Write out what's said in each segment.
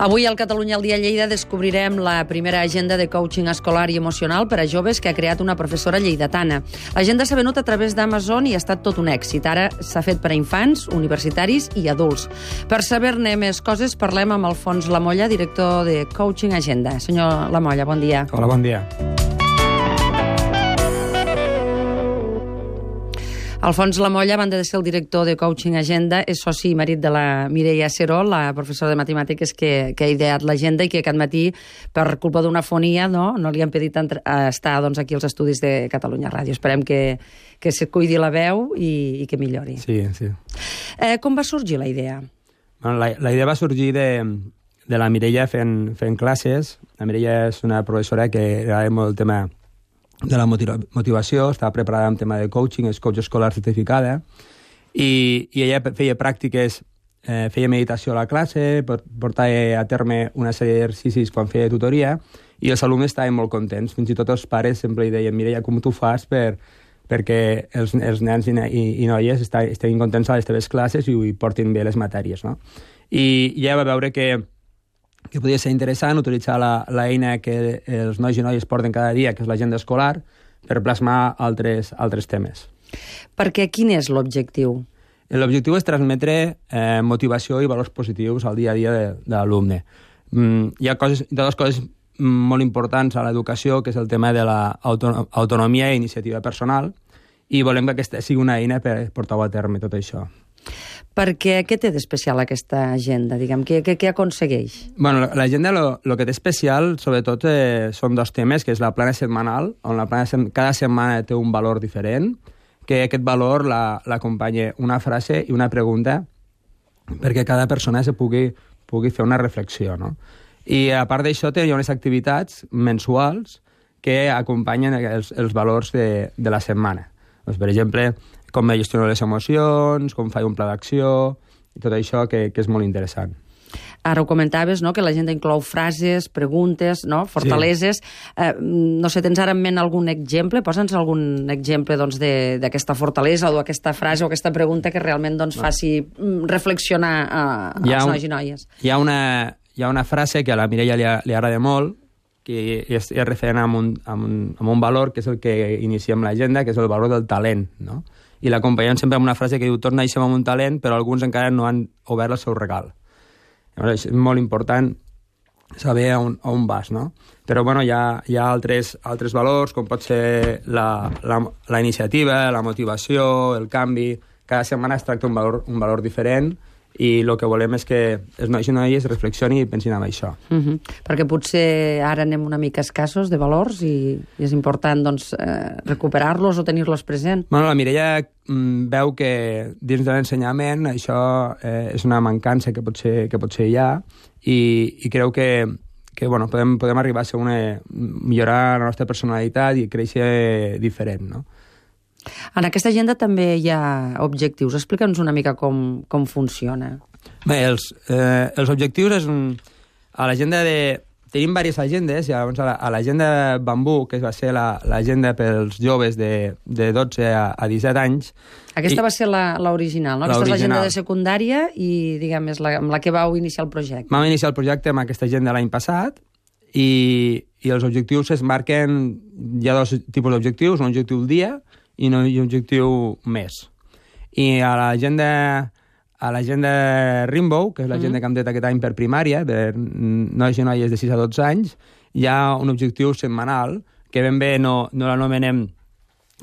Avui al Catalunya al dia Lleida descobrirem la primera agenda de coaching escolar i emocional per a joves que ha creat una professora lleidatana. L'agenda s'ha venut a través d'Amazon i ha estat tot un èxit. Ara s'ha fet per a infants, universitaris i adults. Per saber-ne més coses parlem amb Alfons Lamolla, director de Coaching Agenda. Senyor Lamolla, bon dia. Hola, bon dia. Alfons Lamolla, a banda de ser el director de Coaching Agenda, és soci i marit de la Mireia Serol, la professora de matemàtiques que ha ideat l'agenda i que aquest matí, per culpa d'una fonia, no li han pedit estar aquí als estudis de Catalunya Ràdio. Esperem que se cuidi la veu i que millori. Sí, sí. Com va sorgir la idea? Bueno, la idea va sorgir de la Mireia fent classes. La Mireia és una professora que agrada molt el tema de la motivació, estava preparada en tema de coaching, és coach escolar certificada, i ella feia pràctiques, feia meditació a la classe, portava a terme una sèrie d'exercicis quan feia tutoria, i els alumnes estaven molt contents. Fins i tot els pares sempre li deien: Mireia, com tu fas perquè els nens i noies estiguin contents a les teves classes i portin bé les matèries, no? I ella va veure que podia ser interessant utilitzar l'eina que els nois i noies porten cada dia, que és l'agenda escolar, per plasmar altres temes. Perquè quin és l'objectiu? L'objectiu és transmetre motivació i valors positius al dia a dia de l'alumne. Hi ha dues coses molt importants a l'educació, que és el tema de l'autonomia i iniciativa personal, i volem que aquesta sigui una eina per portar a terme tot això. Perquè què té d'especial aquesta agenda? Diguem, què aconsegueix? Bueno, l'agenda el que té especial, sobretot, són dos temes, que és la plana setmanal, on cada setmana té un valor diferent, que aquest valor l'acompanya una frase i una pregunta perquè cada persona pugui fer una reflexió, no? I a part d'això hi ha unes activitats mensuals que acompanyen els valors de la setmana. Doncs, per exemple, com gestiono les emocions, com faig un pla d'acció, i tot això que és molt interessant. Ara ho comentaves, no?, que l'agenda inclou frases, preguntes, no?, fortaleses. Sí. No sé, tens ara en ment algun exemple? Posa'ns algun exemple d'aquesta fortalesa o d'aquesta frase o aquesta pregunta que realment faci reflexionar als nois i noies. Hi ha una frase que a la Mireia li agrada molt, que és referent a un valor, que és el que iniciem l'agenda, que és el valor del talent, no? I l'acompanyem sempre amb una frase que diu: tots naixem amb un talent, però alguns encara no han obert el seu regal. Llavors, és molt important saber on vas, no? Però bueno, hi ha altres valors, com pot ser la iniciativa, la motivació, el canvi. Cada setmana es tracta un valor diferent, i el que volem és que els nois i noies reflexionin i pensin en això. Perquè potser ara anem una mica escassos de valors i és important recuperar-los o tenir-los present. Bueno, la Mireia veu que dins de l'ensenyament això és una mancança que potser hi ha, i creu que podem arribar a millorar la nostra personalitat i créixer diferent, no? En aquesta agenda també hi ha objectius. Explica'ns una mica com funciona. Bé, els objectius a l'agenda tenim diverses agendes. Llavors, a l'agenda Bambú, que va ser l'agenda pels joves de 12 a 17 anys... Aquesta va ser l'original, no? Aquesta és l'agenda de secundària i, diguem, és amb la que vau iniciar el projecte. Vam iniciar el projecte amb aquesta agenda l'any passat, i els objectius es marquen... Hi ha dos tipus d'objectius, un objectiu al dia i un objectiu més. I a l'agenda Rainbow, que és l'agenda que hem tret aquest any per primària, per nois i noies de 6 a 12 anys, hi ha un objectiu setmanal, que ben bé no l'anomenem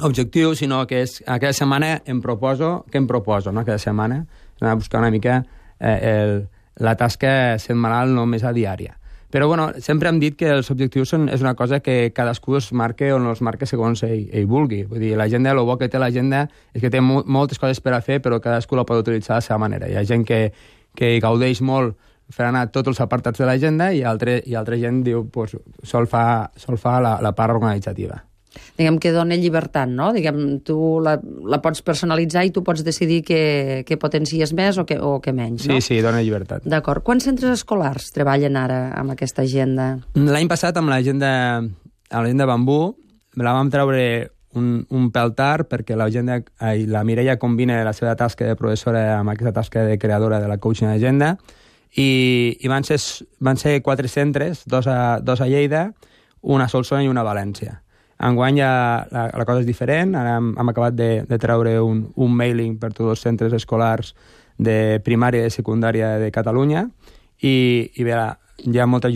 objectiu, sinó que és cada setmana què em proposo, no? Cada setmana anar a buscar una mica la tasca setmanal, no més a diària. Però bueno, sempre hem dit que els objectius és una cosa que cadascú es marca o no els marca segons ell vulgui. Vull dir, l'agenda, el bo que té l'agenda és que té moltes coses per a fer, però cadascú la pot utilitzar a la seva manera. Hi ha gent que gaudeix molt fer anar tots els apartats de l'agenda, i altra gent diu, sol fa la part organitzativa. Diguem que dona llibertat, no? Diguem, tu la pots personalitzar i tu pots decidir què potencies més o què menys, no? Sí, dona llibertat. D'acord. Quants centres escolars treballen ara amb aquesta agenda? L'any passat, amb l'agenda Bambú, la vam treure un pèl tard, perquè la Mireia combina la seva tasca de professora amb aquesta tasca de creadora de la Coaching Agenda, I van ser 4 centres, dos a Lleida, una a Solsona i una a València. Enguany la cosa és diferent, ara hem acabat de treure un mailing per tots els centres escolars de primària i de secundària de Catalunya i bé, hi ha molts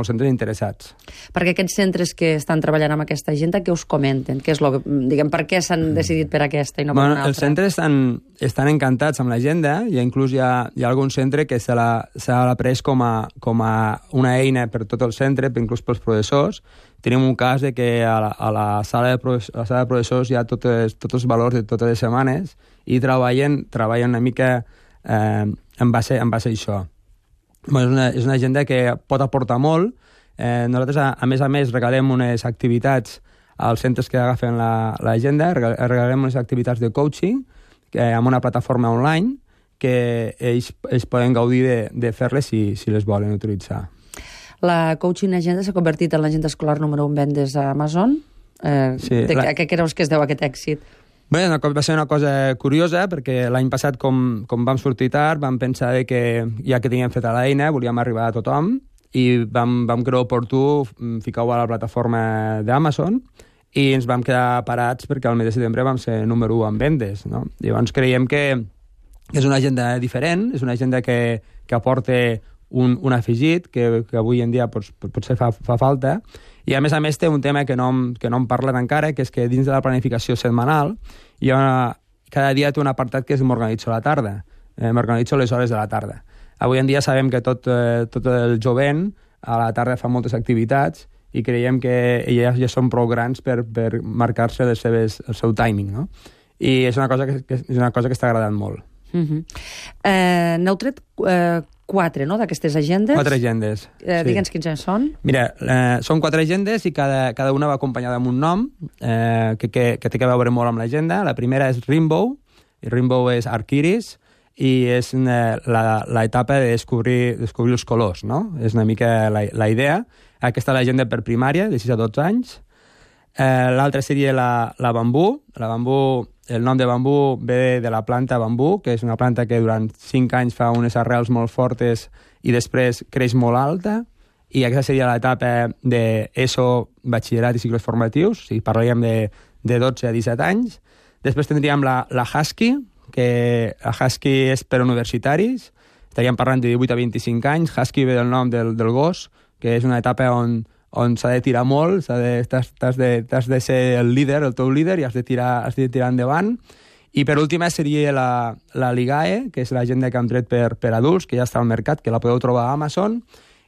centres interessats. Perquè aquests centres que estan treballant amb aquesta agenda, què us comenten? Què és per què s'han decidit per aquesta i no per una altra? Els centres estan encantats amb l'agenda i inclús hi ha algun centre que se l'ha pres com a una eina per tot el centre, inclús pels professors. Tenim un cas de que a la sala de professors hi ha tots els valors de totes les setmanes i treballen una mica en base a això. És una agenda que pot aportar molt. Nosaltres, a més, regalem unes activitats als centres que agafen l'agenda, regalem unes activitats de coaching amb una plataforma online que ells poden gaudir de fer-les si les volen utilitzar. La coaching agenda s'ha convertit en l'agenda escolar número 1 vendes a Amazon. Sí, a què creus que es deu aquest èxit? Bé, va ser una cosa curiosa, perquè l'any passat, com vam sortir tard, vam pensar que ja que teníem feta l'eina, volíem arribar a tothom, i vam creure oportú ficar-ho a la plataforma d'Amazon, i ens vam quedar parats perquè al mes de setembre vam ser número 1 en vendes. No? Llavors creiem que és una agenda diferent, és una agenda que aporta un afegit que avui en dia potser fa falta, i a més té un tema que no hem parlat encara, que és que dins de la planificació setmanal cada dia té un apartat que és m'organitzo a la tarda, m'organitzo les hores de la tarda. Avui en dia sabem que tot el jovent a la tarda fa moltes activitats i creiem que ja són prou grans per marcar-se el seu timing, no? I és una cosa que està agradant molt. N'heu tret 4, no?, d'aquestes agendes. 4 agendes. Digue'ns quins són. Mira, són 4 agendes i cada una va acompanyada amb un nom que té que veure molt amb l'agenda. La primera és Rainbow, i Rainbow és arc-iris, i és l'etapa de descobrir els colors, no? És una mica la idea. Aquesta és l'agenda per primària, de 6 a 12 anys. L'altra seria la bambú. La bambú, el nom de bambú ve de la planta bambú, que és una planta que durant 5 anys fa unes arrels molt fortes i després creix molt alta, i aquesta seria l'etapa d'ESO, batxillerat i cicles formatius, si parlaríem de 12 a 17 anys. Després tindríem la Husky, que la Husky és per universitaris, estaríem parlant de 18 a 25 anys. Husky ve del nom del gos, que és una etapa on s'ha de tirar molt, t'has de ser el líder, el teu líder, i has de tirar endavant. I per última seria la Ligae, que és l'agenda que hem tret per adults, que ja està al mercat, que la podeu trobar a Amazon.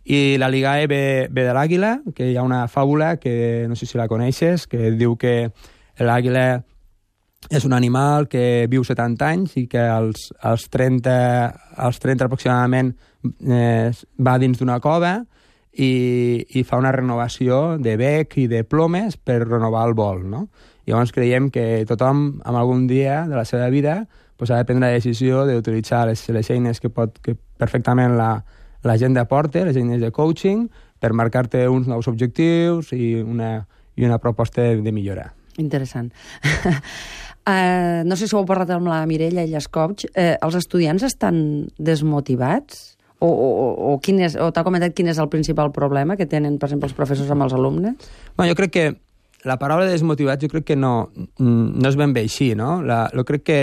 I la Ligae ve de l'àguila, que hi ha una fàbula que no sé si la coneixes, que diu que l'àguila és un animal que viu 70 anys i que als 30 aproximadament va dins d'una cova i fa una renovació de bec i de plomes per renovar el vol, no? Llavors creiem que tothom, en algun dia de la seva vida, ha de prendre la decisió d'utilitzar les eines que perfectament l'agenda porta, les eines de coaching, per marcar-te uns nous objectius i una proposta de millora. Interessant. No sé si ho heu parlat amb la Mireia, ella és coach. Els estudiants estan desmotivats? O t'ha comentat quin és el principal problema que tenen, per exemple, els professors amb els alumnes? Bueno, jo crec que la paraula desmotivats no és ben bé així, no? Jo crec que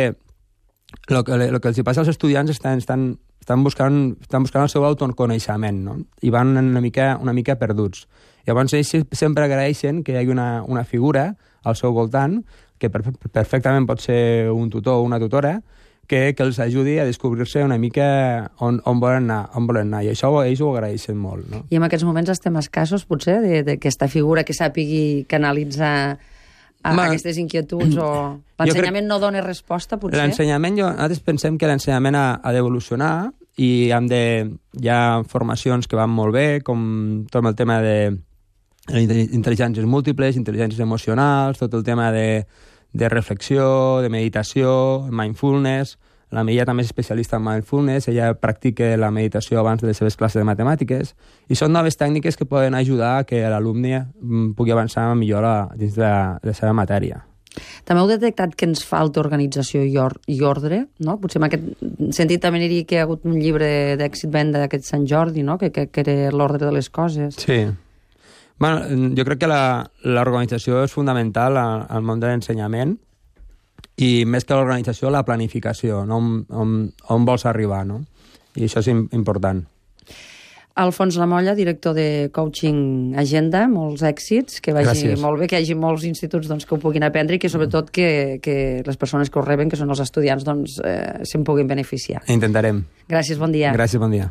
el que els passa als estudiants estan buscant el seu autoconeixement, no? I van una mica perduts. Llavors ells sempre agraeixen que hi hagi una figura al seu voltant, que perfectament pot ser un tutor o una tutora, que els ajudi a descobrir-se una mica on volen anar, i això ells ho agraeixen molt, no? I en aquests moments estem escassos, potser, d'aquesta figura que sàpigui canalitzar aquestes inquietuds, o l'ensenyament no dona resposta, potser? L'ensenyament, nosaltres pensem que l'ensenyament ha d'evolucionar, i hi ha formacions que van molt bé, com tot el tema de intel·ligències múltiples, intel·ligències emocionals, tot el tema de reflexió, de meditació, mindfulness. La Mireia també és especialista en mindfulness, ella practica la meditació abans de les seves classes de matemàtiques, i són noves tècniques que poden ajudar a que l'alumne pugui avançar millor dins de la seva matèria. També heu detectat que ens falta organització i ordre, no? Potser en aquest sentit també diria que hi ha hagut un llibre d'èxit venda d'aquest Sant Jordi, no? Que era l'ordre de les coses. Sí. Bueno, jo crec que l'organització és fundamental al món de l'ensenyament i més que l'organització, la planificació, no? On vols arribar, no? I això és important. Alfons Lamolla, director de Coaching Agenda, molts èxits, que vagi molt bé, que hi hagi molts instituts que ho puguin aprendre i que sobretot que les persones que ho reben, que són els estudiants, se'n puguin beneficiar. Intentarem. Gràcies, bon dia. Gràcies, bon dia.